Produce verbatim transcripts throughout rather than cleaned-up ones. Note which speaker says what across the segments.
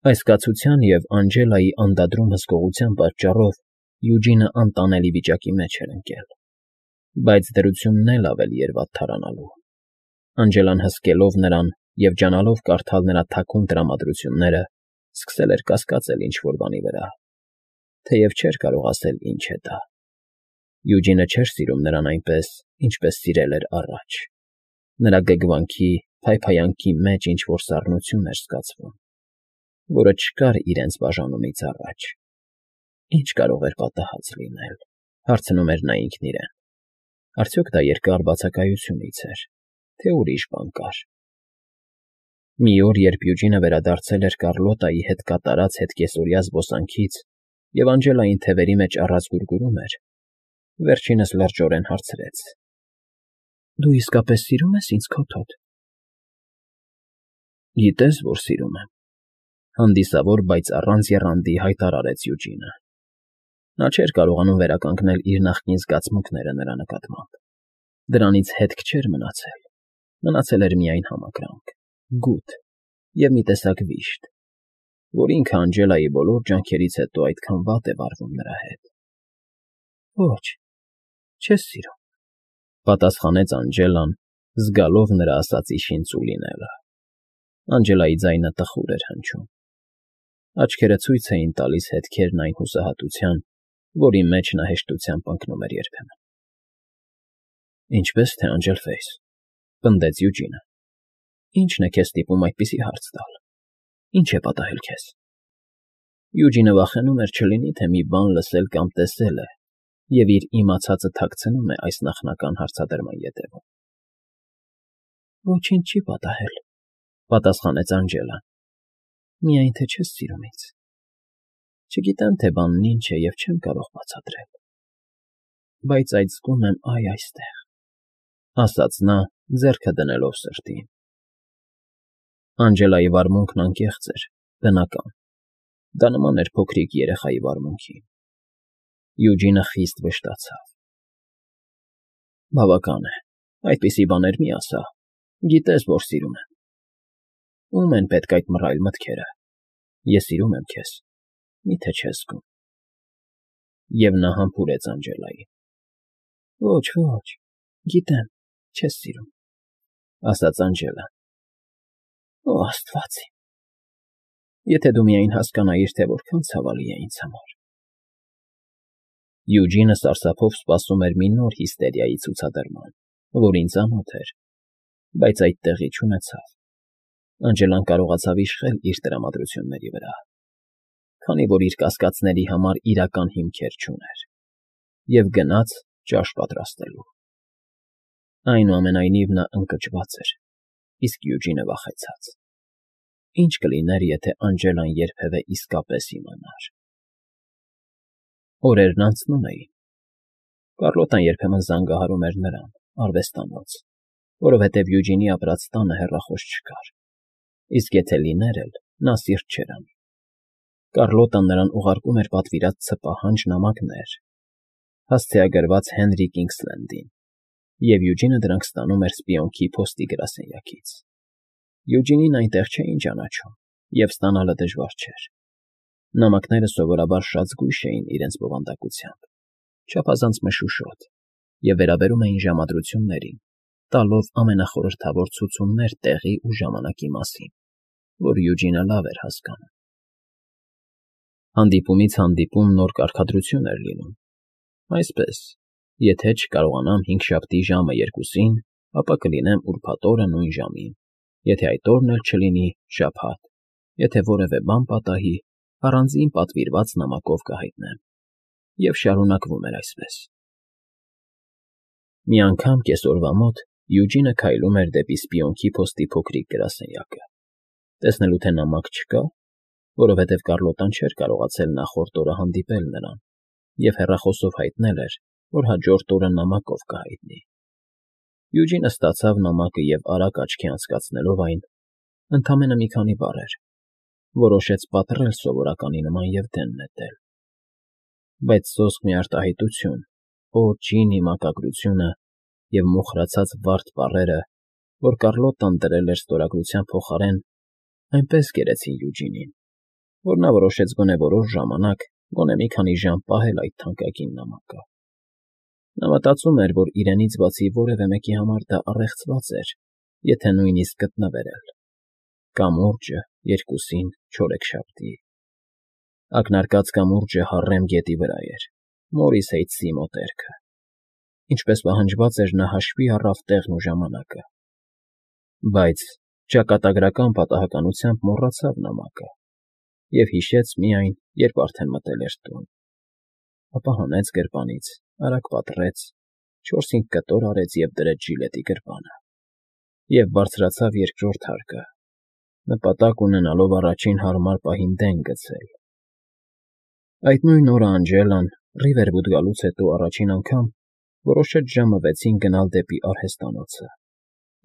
Speaker 1: Այս կացության և Անջելայի անդադրուն հսկողության պատճառով Յուջինը անտանելի վիճակի մեջ էր ընկել, բայց դրությունն էլ ավելի էր վատթարանալու. Անջելան հսկելով նրան և ջանալով կարդալ նրա թաքուն տրամադրությունները, սկսել էր կասկածել ինչ֊որ բանի վրա, թեև չէր կարող ասել ինչ է դա. Յուջինը չէր սիրում նրան այնպես, ինչպես սիրել էր առաջ, նրա գգվանքի, փայփայանքի մեջ ինչ֊որ սառնություն էր զգացվում, որը չկար իրենց բաժանումից առաջ։ Ինչ կարող էր պատահած լինել, հարցնում էր նա ինքն իրեն. արդյոք դա երկար բացակայությունից էր, թե ուրիշ բան կար։ Մի օր, երբ Յուջինը վերադարձել էր Կառլոտայի հետ կատարած հետկեսօրյա զբոսանքից և Անջելային թևերի մեջ առած գուրգուրում էր, վերջինս լրջորեն հարցրեց. ֊ Դու իսկապես սիրում ես ինձ, քոթոտ։ ֊ Գիտես, որ սիրում եմ,֊ հանդիսավոր, բայց առանց եռանդի հայտարարեց Յուջինը. նա չէր կարողանում վերականգնել իր նախկին զգացմունքները նրա նկատմամբ. դրանից հետք չէր մնացել, մնացել էր միայն համակրանք, գութ և մի տեսակ վիշտ, որ ինքը Անջելայի բոլոր ջանքերից հետո այդքան վատ է վարվում նրա հետ։ ֊ Ոչ, չես սիրում,֊ պատասխանեց Անջելան, զգալով նրա ասածի շինծու լինելը։ Անջելայի ձայնը տխուր էր հնչում, աչքերը ցույց էին տալիս հետքերն այն հուսահատության, որի մեջ նա հեշտությամբ ընկնում էր երբեմն։ ֊ Ինչպե՞ս թե, Անջելֆեյս,֊ պնդեց Յուջինը,֊ ի՞նչն է քեզ ստիպում այդպիսի հարց տալ, ի՞նչ է պատահել քեզ։ Յուջինը վախենում էր չլինի, թե մի բան լսել կամ տեսել է և իր իմացածը թաքցնում է այս նախնական հարցադրման ետևում։ ֊ Ոչինչ չի պատահել,֊ պատասխանեց Անջելան,֊ միայն թե չես սիրում ինձ։ Չգիտեմ, թե բանն ինչ է և չեմ կարող բացատրել, բայց այդ զգում եմ այ այստեղ,֊ ասաց նա, ձեռքը դնելով սրտին։ Անջելայի վարմունքն անկեղծ էր, բնական, դա նման էր փոքրիկ երեխայի վարմունքին։ Յուջինը խիստ վշտացավ։ ֊ Բավական է, այդպիսի բաներ մի ասա, գիտես, որ սիրում եմ։ Ո՞ւմ են պետք այդ մռայլ մտքերը։ Ես սիրում եմ քեզ, մի՞թե չես զգում։ Եվ նա համբուրեց Անջելային։ ֊ Ոչ, ոչ, գիտեմ, չես սիրում,֊ ասաց Անջելան։ ֊ Օ աստված իմ… Եթե դու միայն հասկանայիր, թե որքան ցավալի է ինձ համար… Յուջինը սարսափով սպասում էր մի նոր հիստերիայի ցուցադրման, որին ծանոթ էր, բայց այդ տեղի չունեցավ։ Անջելան կարողացավ իշխել իր տրամադրությունների վրա, քանի որ իր կասկածների համար իրական հիմքեր չուներ, և գնաց ճաշ պատրաստելու։ Այնուամենայնիվ նա ընկճված էր, իսկ Յուջինը վախեցած. ինչ կլիներ, եթե Անջելան երբևէ իսկապես իմանար… Օրերն անցնում էին։ Կառլոտան երբեմն զանգահարում էր նրան, արվեստանոց, որովհետև Յուջինի ապրած տանը հեռախոս չկար, իսկ եթե լիներ էլ, նա սիրտ չէր անի։ Կառլոտան նրան ուղարկում էր պատվիրած ցպահանջ նամակներ, հասցեագրված Հենրի Կինգսլենդին, և Յուջինը դրանք ստանում էր սպիոնքի փոստի գրասենյակից։ Յուջինին այնտեղ չէին ճանաչում, և ստանալը դժվար չէր։ Նամակները սովորաբար շատ զգույշ էին իրենց բովանդակությամբ, չափազանց մշուշոտ, և վերաբերում էին ժամադրություններին, տալով ամենախորհրդավոր ցուցումներ տեղի ու ժամանակի մասին, որ Յուջինը լավ էր հասկանում։ Հանդիպումից հանդիպում նոր կարգադրություն էր լինում, այսպես, եթե չկարողանամ հինգշաբթի ժամը երկուսին, ապա կլինեմ ուրբաթ օրը նույն ժամին, եթե այդ օրն էլ չլինի, շաբաթ, եթե որևէ բան պատահի, առանձին պատվիրված նամակով կհայտնեմ, և շարունակվում էր այսպես։ Մի անգամ կեսօրվա մոտ Յուջինը քայլում էր դեպի սպիոնքի փոստի փոքրիկ գրասենյակը, տեսնելու թե նամակ չկա, որովհետև Կառլոտան չէր կարողացել նախորդ օրը հանդիպել նրան և հեռախոսով հայտնել էր, որ հաջորդ օրը նամակով կհայտնի։ Յուջինը ստացավ նամակը և արագ աչքի անցկացնելով այն, ընդամենը մի քանի բառեր, որոշեց պատռել սովորականի նման և դեն նետել։ Բայց սոսկ մի արտահայտություն, օ, ջինի մակագրությունը և մոխրացած վառդ բառերը, որ Կառլոտան դրել էր ստորագրության փոխարեն, այնպես գերեցին Յուջինին, որ նա որոշեց գոնե որոշ ժամանակ, գոնե մի քանի ժամ պահել այդ թանկագին նամակը։ Նա մտածում էր, որ իրենից բացի որևէ մեկի համար դա առեղծված էր, եթե նույնիսկ գտնվեր էլ. կամուրջը երկուսին չորեքշաբթի։ Ակնարկած կամուրջը Հարրեմ գետի վրա էր, Մորիս Հեյթսի մոտերքը։ Ինչպես պահանջված էր, նա հաշվի առավ տեղն ու ժամանակը, բայց ճակատագրական պատահականությամբ մոռացավ նամակը և հիշեց միայն, երբ արդեն մտել էր տուն։ Ապա հանեց գրպանից, արագ պատռեց, չորս֊հինգ կտոր արեց և դրեց ժիլետի գրպանը, և բարձրացավ երկրորդ հարկը, նպատակ ունենալով առաջին հարմար պահին դեն գցել։ Այդ նույն օրը Անջելան, Ռիվերվուդ գալուց հետո առաջին անգամ, որոշեց ժամը վեցին գնալ դեպի արհեստանոցը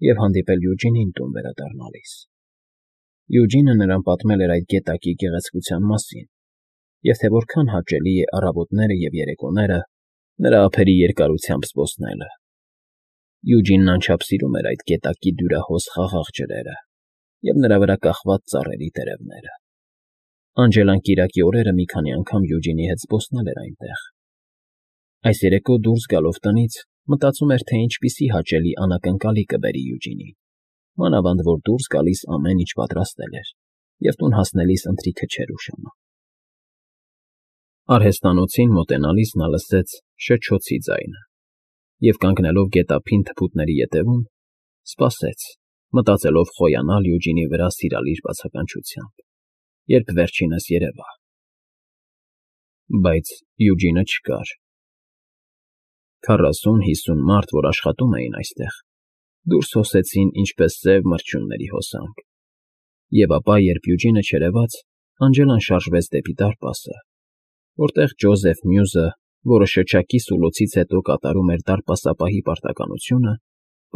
Speaker 1: և հանդիպել Յուջինին տուն վերադառնալիս։ Յուջինը նրան պատմել էր այդ գետակի գեղեցկության մասին և թե որքան հաճելի է առավոտները և երեկոները նրա ափերի երկարությամբ զբոսնելը։ Յուջինն անչափ սիրում էր այդ գետակի դյուրահոս խաղաղ ջրերը և նրա վրա կախված ծառերի տերևները։ Անջելան կիրակի օրերը մի քանի անգամ Յուջինի հետ զբոսնել էր այնտեղ։ Այս երեկո դուրս գալով տնից մտածում էր, թե ինչպիսի հաճելի անակնկալի կբերի Յուջինին, մանավանդ որ դուրս գալիս ամեն ինչ պատրաստել էր, և տուն հասնելիս ընթրիքը չէր ուշանում։ Արհեստանոցին մոտենալիս նա լսեց շչոցի ձայնը և, կանգնելով գետափին թփուտների ետևում, սպասեց, մտածելով խոյանալ Յուջինի վրա սիրալիր բացականչությամբ, երբ վերջինս երևա։ Բայց Յուջինը չկար։ Քառասուն֊հիսուն մարդ, որ աշխատում էին այստեղ, դուրս հոսեցին ինչպես սև մրջյունների հոսանք, և ապա, երբ Յուջինը չերևաց, Անջելան շարժվեց դեպի դարպասը, որտեղ Ջոզեֆ Մյուզը, որը շչակի սուլոցից հետո կատարում էր դարպասապահի պարտականությունը,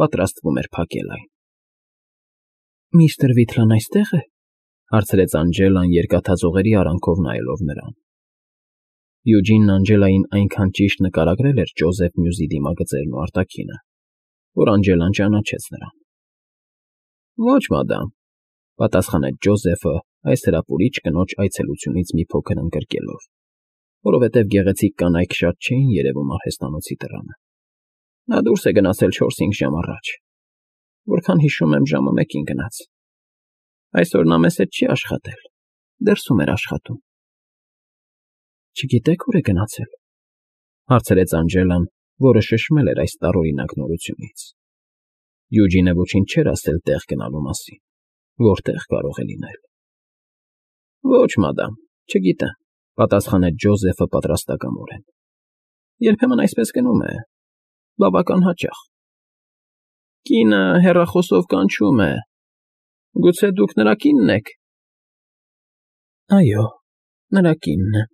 Speaker 1: պատրաստվում էր փակել այն։ ֊ Միստր Վիթլն այստե՞ղ է,֊ հարցրեց Անջելան երկաթածողերի արանքով նայելով նրան։ Յուջինն Անջելային այնքան ճիշտ նկարագրել էր Ջոզեֆ Մյուզի դիմագծերն ու արտաքինը, որ Անջելան ճանաչեց նրան։ ֊ Ոչ, մադամ,֊ պատասխանեց Ջոզեֆը այս հրապուրիչ կնոջ այցելությունից մի փոքր ընկրկելով, որովհետև գեղեցիկ կանայք շատ չէին երևում արհեստանոցի դռանը։ Նա դուրս է գնացել չորս֊հինգ ժամ առաջ, որքան հիշում եմ, ժամը մեկին գնաց։ Այսօր նա մեզ հետ չի աշխատել, դրսում էր աշխատում։ ֊ Չգիտեք ուր է գնացել,֊ հարցրեց Անջելան, որը շշմել էր այս տարօրինակ նորությունից։ Յուջինը ոչինչ չէր ասել տեղ գնալու մասին, որտեղ կարող է լինել։ ֊ Ոչ, մադամ, չգիտեմ,֊ պատասխանեց Ջոզեֆը պատրաստակամորեն։ Երբեմն այսպես գնում է, բավական հաճախ։ Կինը հեռախոսով կանչում է. գուցե դուք նրա կի՞նն եք։ ֊ Այո, նրա կինն է,֊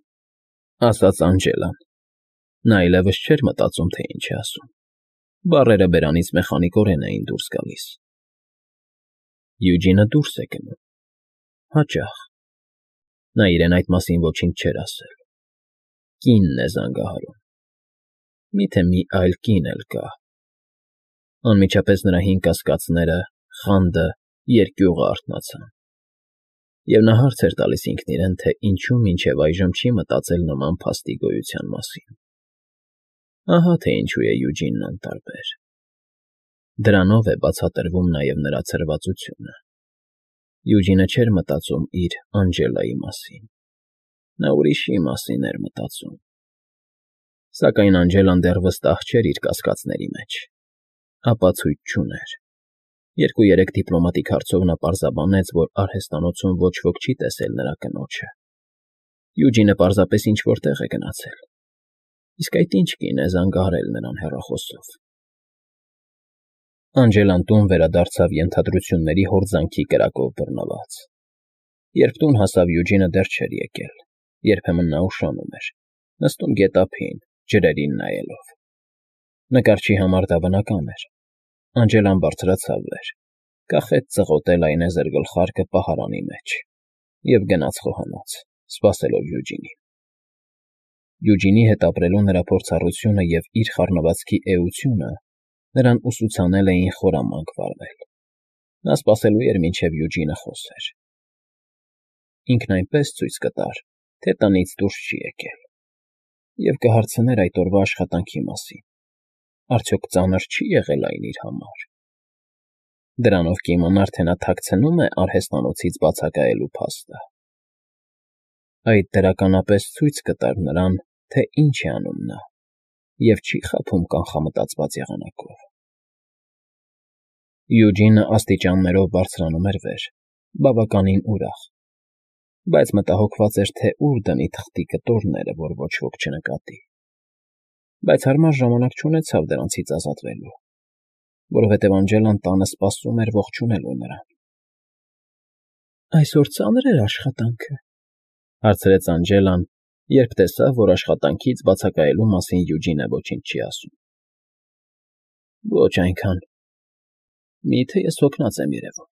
Speaker 1: ասաց Անջելան։ Նա այլևս չէր մտածում, թե ինչ է ասում։ Բառերը բերանից մեխանիկորեն էին դուրս գալիս։ Յուջինը դուրս է գնում։ Հաճախ։ Նա իրեն այդ մասին ոչինչ չէր ասել։ Կինն է զանգահարում։ Մի՞թե մի այլ կին էլ կա։ Անմիջապես նրա հին կասկածները, խանդը, երկյուղը արթնացան, և նա հարց էր տալիս ինքն իրեն, թե ինչու մինչև այժմ չի մտածել նման փաստի գոյության մասին։ Ահա թե ինչու է Յուջինն անտարբեր։ Դրանով է բացատրվում նաև նրա ցրվածությունը։ Յուջինը չէր մտածում իր Անջելայի մասին։ Նա ուրիշի մասին էր մտածում։ Սակայն Անջելան դեռ վստահ չէր իր կասկածների մեջ։ Ապացույց չուներ։ Երկու֊երեք դիպլոմատիկ հարցով նա պարզաբանեց, որ արհեստանոցում ոչ ոք չի տեսել նրա կնոջը։ Յուջինը պարզապես ինչ֊որ տեղ է գնացել։ Իսկ այդ ի՞նչ կին է զանգահարել նրան հեռախոսով։ Անջելան տուն վերադարձավ ենթադրությունների հորձանքի կրակով բռնված։ Երբ տուն հասավ, Յուջինը դեռ չէր եկել։ Երբեմն նա ուշանում էր, նստում գետափին, ջրերին նայելով։ Նկարչի համար դա բնական էր։ Անջելան բարձրացավ վեր, կախեց ծղոտել այնեզր գլխարկը պահարանի մեջ և գնաց խոհանոց, սպասելով Յուջինին։ Յուջինի հետ ապրելու նրա փորձառությունը և իր խառնվածքի էությունը նրան ուսուցանել էին խորամանկ վարվել։ Նա սպասելու էր, մինչև Յուջինը խոսեր։ ինքն այնպես ցույց կտար, թե տնից դուրս չի եկել, և կհարցներ այդ օրվա աշխատանքի մասին. արդյոք ծանր չի՞ եղել այն իր համար. դրանով կիմանար, թե նա թաքցնո՞ւմ է արհեստանոցից բացակայելու փաստը։ Այդ դրականապես ցույց կտար նրան, թե ինչ է անում նա, և չի խաբում կանխամտածված եղանակով։ Յուջինը աստիճաններով բարձրանում էր վեր, բավականին ուրախ, բայց մտահոգված էր, թե ուր դնի թղթի կտորները, որ ոչ ոք չնկատի, բայց հարմար ժամանակ չունեցավ դրանցից ազատվելու, որովհետև Անջելան տանը սպասում էր ողջունելու նրան։ ֊ Այսօր ծա՞նր էր աշխատանքը,֊ հարցրեց Անջելան, երբ տեսավ, որ աշխատանքից բացակայելու մասին Յուջինը ոչինչ չի ասում։ ֊ Ոչ այնքան… Մի՞թե ես հոգնած եմ երևում։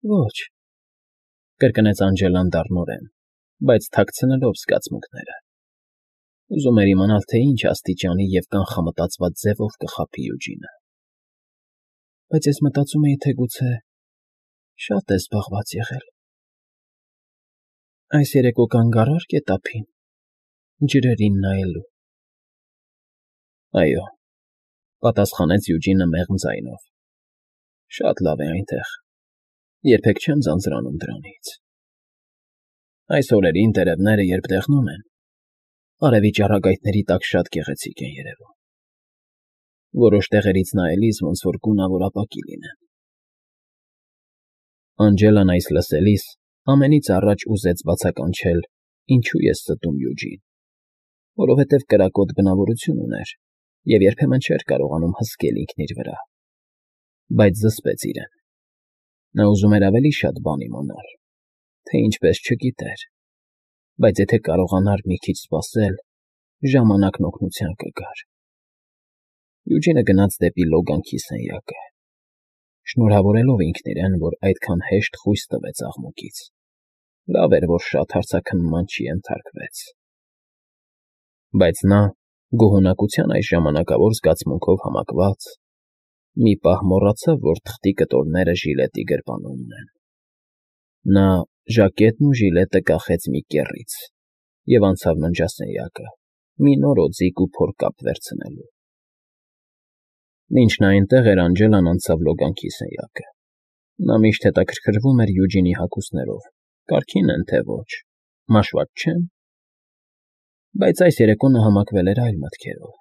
Speaker 1: ֊ Ոչ,֊ կրկնեց Անջելան դառնորեն, բայց թաքցնելով զգացմունքները. ուզում էր իմանալ, թե ինչ աստիճանի և կանխամտածված ձևով կխաբի Յուջինը։ ֊ Բայց ես մտածում էի, թե գուցե շատ ես զբաղված եղել… Այս երեկո կանգ առա՞ր գետափին, ջրերին նայելու։ ֊ Այո,֊ պատասխանեց Յուջինը մեղմ ձայնով,֊ շատ լավ է այնտեղ, երբեք չեմ ձանձրանում դրանից։ Այս օրերին տերևները, երբ դեղնում են, արևի ճառագայթների տակ շատ գեղեցիկ են երևում, որոշ տեղերից նայելիս ոնց որ գունավոր ապակի լինեն։ Անջելան այս լսելիս ամենից առաջ ուզեց բացականչել, ինչու է ստում Յուջին, որովհետև կրակոտ բնավորություն ուներ և երբեմն չէր կարողանում հսկել ինքն իր վրա, բայց զսպեց իրեն։ Նա ուզում էր ավելի շատ բան իմանալ, թե ինչպես չգիտեր, բայց եթե կարողանար մի քիչ սպասել, ժամանակն օգնության կգար։ Յուջինը գնաց դեպի լոգանքի սենյակը, շնորհավորելով ինքն իրեն, որ այդքան հեշտ խույս տվեց աղմուկից, լավ էր, որ շատ հարցաքննման չենթարկվեց։ Բայց նա, գոհունակության այս ժամանակավոր զգացմունքով համակված, մի պահ մոռացավ, որ թղթի կտորները ժիլետի գրպանումն են։ Նա ժակետն ու ժիլետը կախեց մի կեռից և անցավ ննջասենյակը, մի նոր օձիք ու փորկապ վերցնելու։ Մինչ նա այնտեղ էր, Անջելան անցավ լոգանքի սենյակը։ Նա միշտ հետաքրքրվում էր Յուջինի հագուստներով, կարգին են, թե ոչ, մաշված չե՞ն։ Բայց այս երեկո նա համակվել էր այլ մտքերով։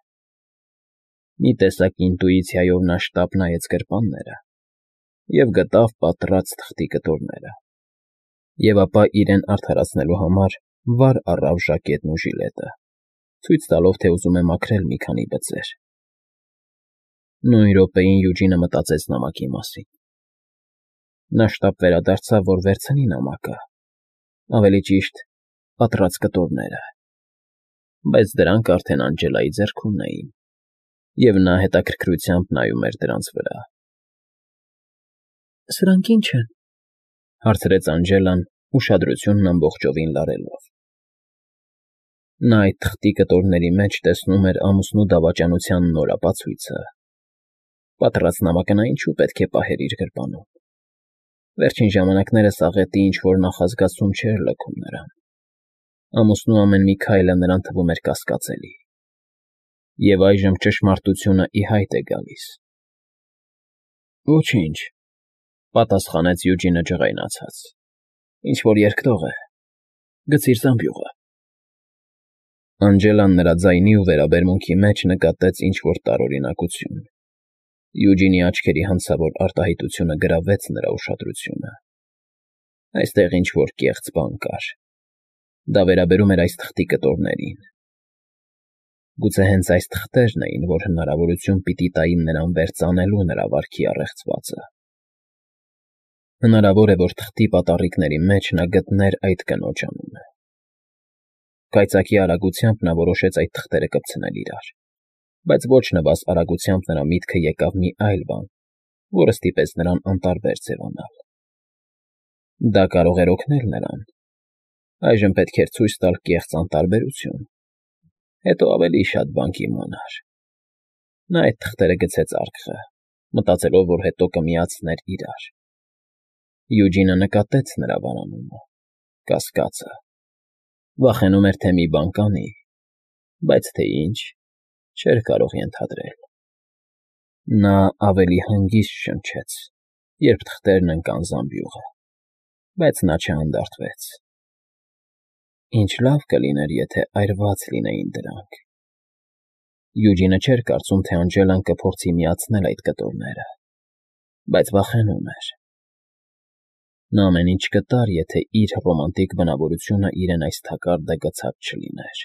Speaker 1: Մի տեսակ ինտուիցիայով նա շտապ նայեց գրպանները և գտավ պատռած թղթի կտորները, և ապա իրեն արդարացնելու համար վար առավ ժակետն ու ժիլետը, ցույց տալով, թե ուզում է մաքրել մի քանի բծեր։ Նույն րոպեին Յուջինը մտածեց նամակի մասին։ Նա շտապ վերադարձավ, որ վերցնի նամակը, ավելի ճիշտ, պատռած կտորները, բայց դրանք արդեն Անջելայի ձեռքում էին, և նա հետաքրքրությամբ նայում էր դրանց վրա։ ֊ Սրանք ի՞նչ են,֊ հարցրեց Անջելան, ուշադրությունն ամբողջովին լարելով։ Նա այդ թղթի կտորների մեջ տեսնում էր ամուսնու դավաճանության նոր ապացույցը։ Պատռած նամակը նա ինչու պետք է պահեր իր գրպանում։ Վերջին ժամանակներս աղետի ինչ֊որ նախազգացում չէր լքում նրան։ Ամուսնու ամեն մի քայլը նրան թվում էր կասկածելի։ Եվ այժմ ճշմարտությունը ի հայտ է գալիս։ ֊ Ոչինչ,֊ պատասխանեց Յուջինը ջղայնացած,֊ ինչ֊որ երկտող է, գցի՛ր զամբյուղը։ Անջելան նրա ձայնի ու վերաբերմունքի մեջ նկատեց ինչ֊որ տարօրինակություն։ Յուջինի աչքերի հանցավոր արտահայտությունը գրավեց նրա ուշադրությունը։ Այստեղ ինչ֊որ կեղծ բան կար։ Դա վերաբերում էր այս թղթի կտորներին։ Գուցե հենց այս թղթերն էին, որ հնարավորություն պիտի տային նրան վերծանելու նրա վարքի առեղծվածը։ Հնարավոր է, որ թղթի պատառիկների մեջ նա գտներ այդ կնոջ անունը։ Կայծակի արագությամբ նա որոշեց այդ թղթերը կպցնել իրար, բայց ոչ նվազ արագությամբ նրա միտքը եկավ մի այլ բան, որը ստիպեց նրան անտարբեր ձևանալ։ Դա կարող էր օգնել նրան։ Այժմ պետք էր ցույց տալ կեղծ անտարբերություն, հետո ավելի շատ բան կիմանար։ Նա այդ թղթերը գցեց արկղը, մտածելով, որ հետո կմիացներ իրար։ Յուջինը նկատեց նրա վարանումը, կասկածը, վախենում էր, թե մի բան կանի, բայց թե ինչ, չէր կարող ենթադրել։ Նա ավելի հանգիստ շնչեց, երբ թղթերն ընկան զամբյուղը, բայց նա չհանդարտվեց։ Ինչ լավ կլիներ, եթե այրված լինեին դրանք… Յուջինը չէր կարծում, թե Անջելան կփորձի միացնել այդ կտորները, բայց վախենում էր։ Նա ամեն ինչ կտար, եթե իր ռոմանտիկ բնավորությունը իրեն այս թակարդը գցած չլիներ։